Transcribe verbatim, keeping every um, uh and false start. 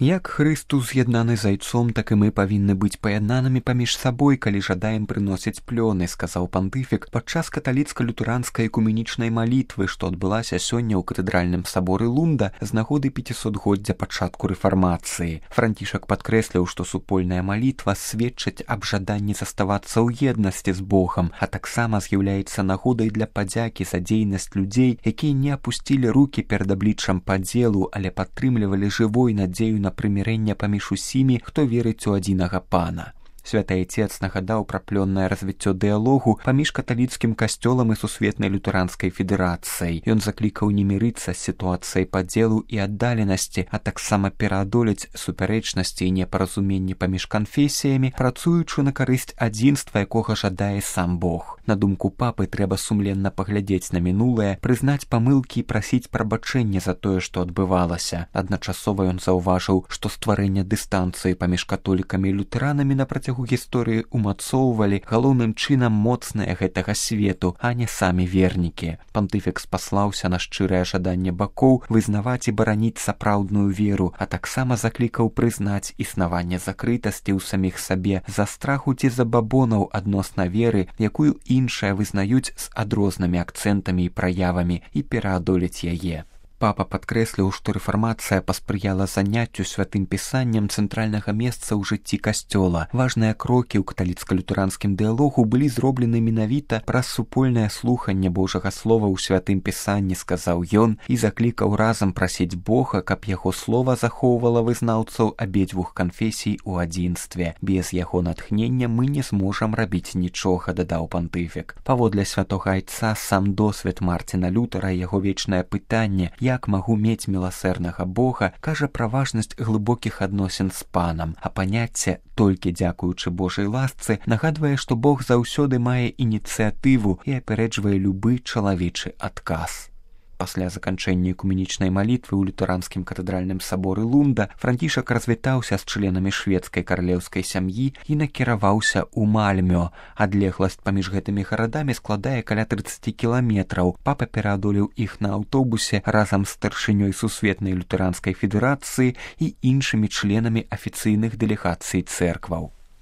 Як Хрыстус з'яднаны зайцом, так і мы павінны быць паяднанымі паміж сабой, калі жадаем прыносіць плёны, сказаў пантыфік падчас каталіцка-лютэранскай экуменічнай малітвы, што адбылася сёння ў катэдральным саборы Лунда з нагоды пяцісотгоддзя пачатку рэфармацыі. Францішак падкрэсліў, што супольная малітва сведчыць аб жаданні заставацца ў еднасці з Богам, а таксама з'яўляецца нагодай для падзякі за дзейнасць людзей, якія не апусцілі рукі перад абліччам падзелу, але падтрымлівалі жывой надзею на прымірэнне паміж усімі, хто верыць у адзінага пана. Святы Айцец нагадаў пра плённае развіццё дыялогу паміж каталіцкім касцёлам і сусветнай лютэранскай федэрацыяй. Ён заклікаў не мірыцца з сітуацыяй падзелу і аддаленасці, а таксама пераадолець супярэчнасці і непаразуменні паміж канфесіямі, працуючы на карысць адзінства, якога жадае сам Бог. На думку папы, трэба сумленна паглядзець на мінулае, прызнаць памылкі і прасіць прабачэння за тое, што адбывалася. Адначасова ён заўважыў, што стварэнне дыстанцыі паміж католікамі і лютэранамі на працягу гісторыі умацоўвалі галоўным чынам моцныя гэтага свету, а не самі вернікі. Пантыфік спаслаўся на шчырае жаданне бакоў вызнаваць і бараніць сапраўдную веру, а таксама заклікаў прызнаць існаванне закрытасці ў саміх сабе за страху ці забабонаў адносна веры, якую іншыя вызнаюць з адрознымі акцэнтамі і праявамі, і пераадолець яе. Папа падкрэсліў, што рэфармацыя паспрыяла заняццю святым пісаннем цэнтральнага месца ў жыцці касцёла. Важныя крокі ў каталіцка-лютэранскім дыялогу былі зроблены менавіта праз супольнае слуханне Божага слова ў святым пісанні, сказаў ён, і заклікаў разам прасіць Бога, каб яго слова захоўвала вызнаўцаў абедзвюх канфесій у адзінстве. Без яго натхнення мы не зможам рабіць нічога, дадаў пантыфік. Паводле святога Айца сам досвед Марціна Лютэра і яго вечнае пытанне, як магу мець міласэрнага Бога, кажа пра важнасць глыбокіх адносін з панам, а паняцце «толькі дзякуючы Божай ласцы» нагадвае, што Бог заўсёды мае ініцыятыву і апярэджвае любы чалавечы адказ. Пасля заканчэння экуменічнай малітвы ў лютэранскім катэдральным саборы Лунда Францішак развітаўся з членамі шведскай каралеўскай сям'і і накіраваўся ў Мальмё. Адлегласць паміж гэтымі гарадамі складае каля трыццаць кіламетраў. Папа пераадолеў іх на аўтобусе разам з старшынёй сусветнай лютэранскай федэрацыі і іншымі членамі афіцыйных дэлегацый цэркваў.